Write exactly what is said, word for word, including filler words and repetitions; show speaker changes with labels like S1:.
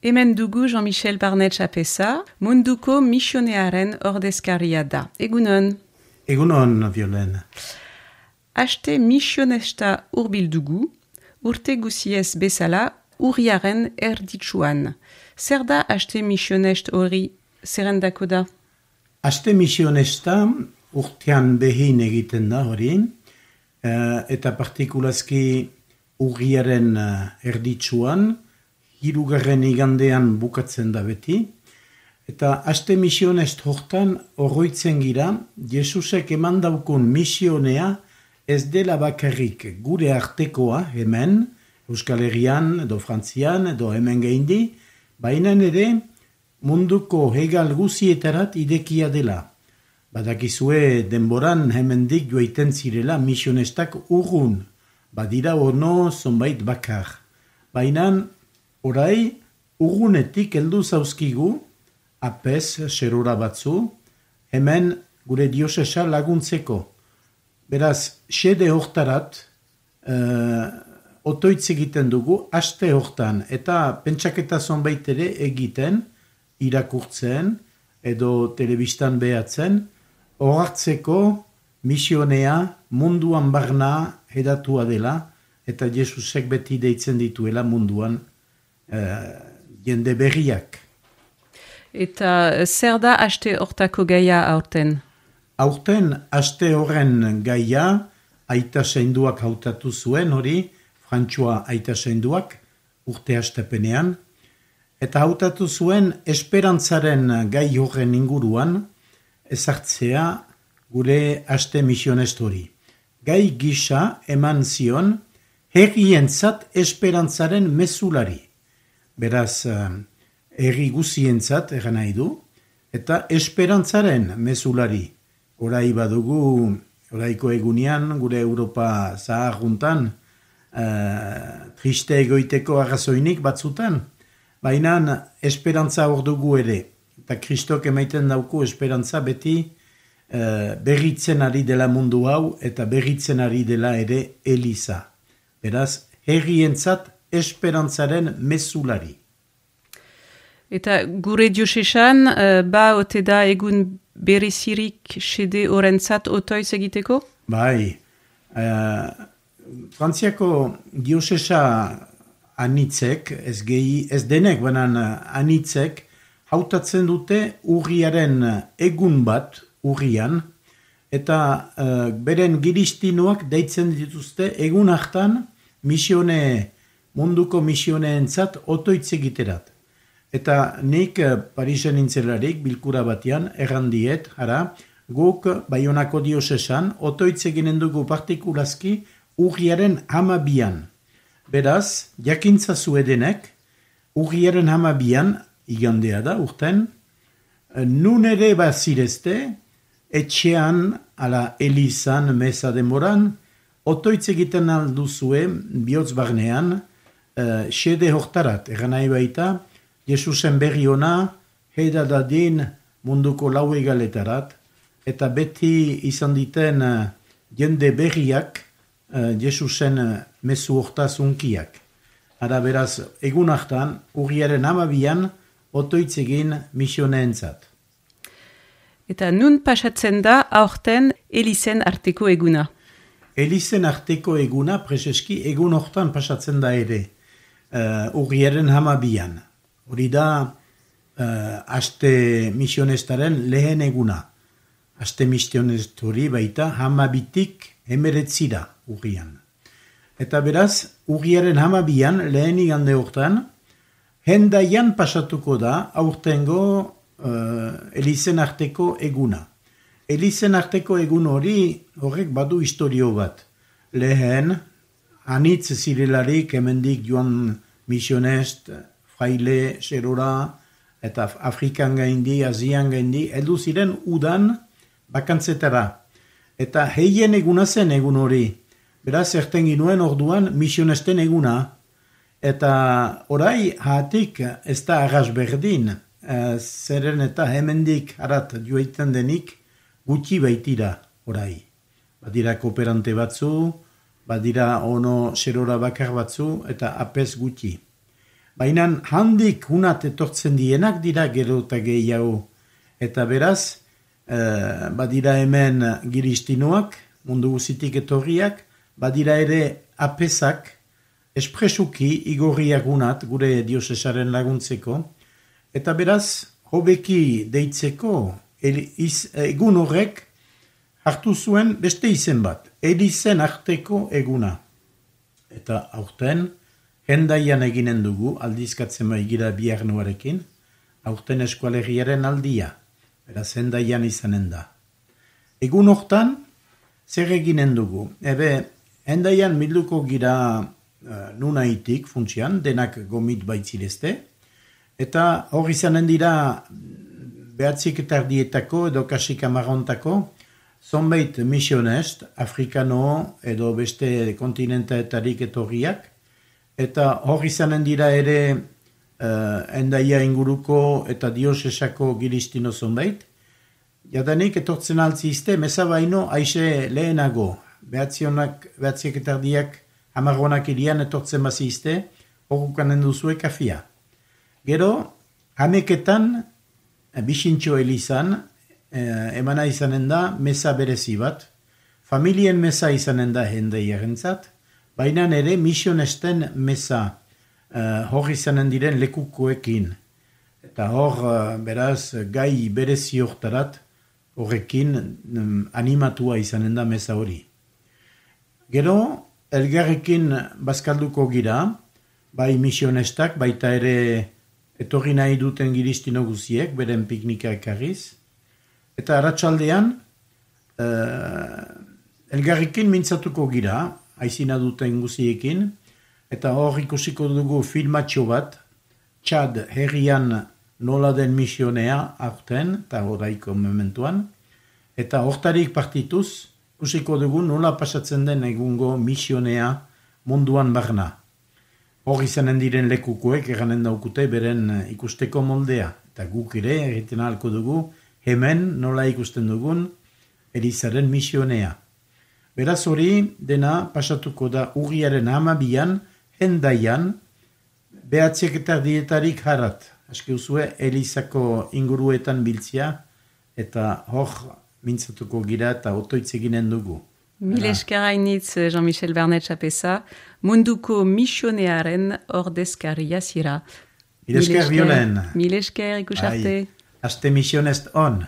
S1: Hemen dugu Jean-Michel Barnetx Apeza, munduko misionearen ordezkaria da. Egunon?
S2: Egunon, Violen.
S1: Aste misionesta urbil dugu, urte guziez bezala urriaren erditsuan. Zer da aste misionest hori zerrendako da?
S2: Aste misionesta urtean behin egiten da hori, eta partikulazki urriaren erditsuan, hirugarren igandean bukatzen da beti, eta aste misionest hortan horroitzen gira, Jesusek eman daukun misionea ez dela bakarrik gure artekoa hemen, Euskal Herrian, edo Frantzian, edo hemen geindi, baina ere munduko hegal guzietarat idekia dela. Badakizue denboran hemendik joaiten zirela misionestak urrun, badira ono zonbait bakar. Baina orai urrunetik heldu zauzkigu, apez, serora batzu, hemen gure diosesa laguntzeko. Beraz, xede hortarat, uh, otoitz egiten dugu, aste hortan, eta pentsaketa zonbait ere egiten, irakurtzen, edo telebistan behatzen, horartzeko misionea munduan barna hedatua dela, eta Jesusek beti deitzen dituela munduan uh, jende berriak.
S1: Eta zer da aste hortako gaia aurten?
S2: Aurten aste horren gaia aita seinduak hautatu zuen hori, Frantsua aita seinduak, urte hastepenean, eta hautatu zuen esperantzaren gai horren inguruan ezartzea gure aste misionest hori. Gai gisa eman zion herrientzat esperantzaren mezulari. Beraz, herri guzientzat egan nahi du, eta esperantzaren mezulari. Orai badugu, oraiko egunean, gure Europa zaharruntan, uh, triste egoiteko arrazoinik batzutan, baina esperantza hor dugu ere. Eta Kristok emaiten dauku esperantza beti uh, berritzen ari dela mundu hau, eta berritzen ari dela ere Eliza. Beraz, herrientzat esperantzaren mezulari.
S1: Eta gure diosesan, uh, ba ote da egun berezirik xede horrentzat otoiz egiteko?
S2: Bai. Uh, Frantziako diosesa anitzek, ez, gehi, ez denek, banan anitzek, hautatzen dute urriaren egun bat, urrian, eta uh, beren giristinuak deitzen dituzte egun hartan misione, munduko misioneentzat otoitz egiterat. Eta nik Parisen nintzelarik bilkura batean errandiet, ara, guk Baionako diosesan otoitz eginen dugu partikulazki urriaren hamabian. Beraz, jakintza zuedenek, urriaren hamabian, igandea da urten, nun ere bazirezte, etxean, ala Elizan, meza denboran, otoitz egiten alduzue, bihotz barnean, uh, xede hortarat, eran nahi baita, Jesusen berri ona, heida dadin munduko lau egaletarat, eta beti izan diten uh, jende berriak uh, Jesusen uh, mezu hortaz unkiak. Ara beraz, egun hartan, urriaren hamabian, otoitz egin misioneentzat.
S1: Eta nun pasatzen da aurten Elizen arteko eguna?
S2: Elizen arteko eguna, preseski, egun hortan pasatzen da ere, uh, urriaren hamabian. Hori da uh, aste misionestaren lehen eguna. Aste misionest hori baita hamabitik emeretzira urrian. Eta beraz, urriaren hamabian lehen igande hortan, hendaian pasatuko da aurtengo uh, Elizen arteko eguna. Elizen arteko egun hori horrek badu historio bat. Lehen, anitz zirelarik hemendik joan misionest, fraile, serora, eta Afrikan gaindi, Asian gaindi, heldu ziren udan bakantzetara. Eta heien eguna zen egun hori. Beraz, erten ginuen orduan misionesten eguna. Eta orai hatik ez da arras berdin, e, zeren eta hemendik harat joiten denik gutxi baitira orai. Badira kooperante batzu, badira ono serora bakar batzu, eta apez gutxi. Baina handik hunat etortzen dienak dira gero eta gehiago. Eta beraz, uh, badira hemen giristinoak, mundu guzitik etorriak, badira ere apesak, espresuki igorriak unat, gure diosesaren laguntzeko, eta beraz, hobeki deitzeko, iz, egun horrek hartu zuen beste izen bat, Elizen arteko eguna. Eta aurten, hendaian eginen dugu, aldizkatzen maigira biharnuarekin, aurten eskualerriaren aldia, beraz hendaian izanen da. Egun hortan, zer eginen dugu? Ebe, hendaian milduko gira uh, nunaitik funtsian, denak gomit baitzirezte, eta hor izanen dira behatzik eta ardietako edo kasik amarontako, zonbait misionest, afrikano edo beste kontinentaetarik etorriak, eta hor izanen dira ere uh, endaia inguruko eta diosesako giristino zonbait, jadanik etortzen altzizte, meza baino aixe lehenago, behatzionak, behatziek eta ardiak amaronak irian etortzen bazizte, horukanen duzue kafia. Gero, hameketan, bisintxo elizan, eh, emana izanen da, meza berezi bat, familien meza izanen da hendaiarentzat, baina ere misionesten meza eh, hor izanen diren lekukoekin. Eta hor, eh, beraz, gai berezi hortarat, horrekin um, animatua izanen da meza hori. Gero, elgarrekin bazkalduko gira, bai misionestak, baita ere etorri nahi duten giristino guziek, beren piknika ekarriz. Eta arratsaldean uh, elgarrekin mintzatuko gira, aizina duten guziekin, eta hor ikusiko dugu filmatxo bat, Txad herrian nola den misionea aurten, eta horaiko mementuan, eta hortarik partituz, ikusiko dugu nola pasatzen den egungo misionea munduan barna. Hor izanen diren lekukoek eranen daukute beren ikusteko moldea, eta guk ere egiten ahalko dugu hemen nola ikusten dugun Elizaren misionea. Beraz hori dena pasatuko da urriaren hamabian, hendaian, behatziek eta ardietarik harat. Aski uzue Elizako inguruetan biltzia, eta hor mintzatuko gira eta otoitz eginen dugu.
S1: Mil esker hainitz Jean-Michel Bernet-Chapeza, munduko misionearen ordezkaria zira.
S2: Mil esker bionen.
S1: Mil esker ikusarte.
S2: Aste misionest on.